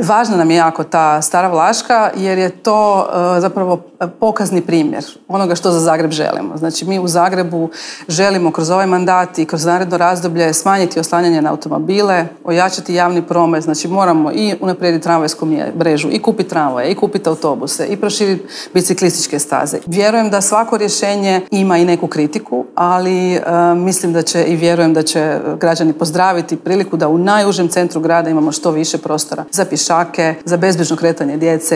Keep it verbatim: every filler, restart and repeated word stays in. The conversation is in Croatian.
Važna nam je jako ta Stara Vlaška jer je to uh, zapravo pokazni primjer onoga što za Zagreb želimo. Znači mi u Zagrebu želimo kroz ovaj mandat i kroz naredno razdoblje smanjiti oslanjanje na automobile, ojačati javni promet, znači moramo i unaprijediti tramvajsku mrežu, i kupiti tramvaje, i kupiti autobuse, i proširiti biciklističke staze. Vjerujem da svako rješenje ima i neku kritiku, ali uh, mislim da će i vjerujem da će građani pozdraviti priliku da u najužem centru grada imamo što više prostora za pješake, za bezbrižno kretanje djece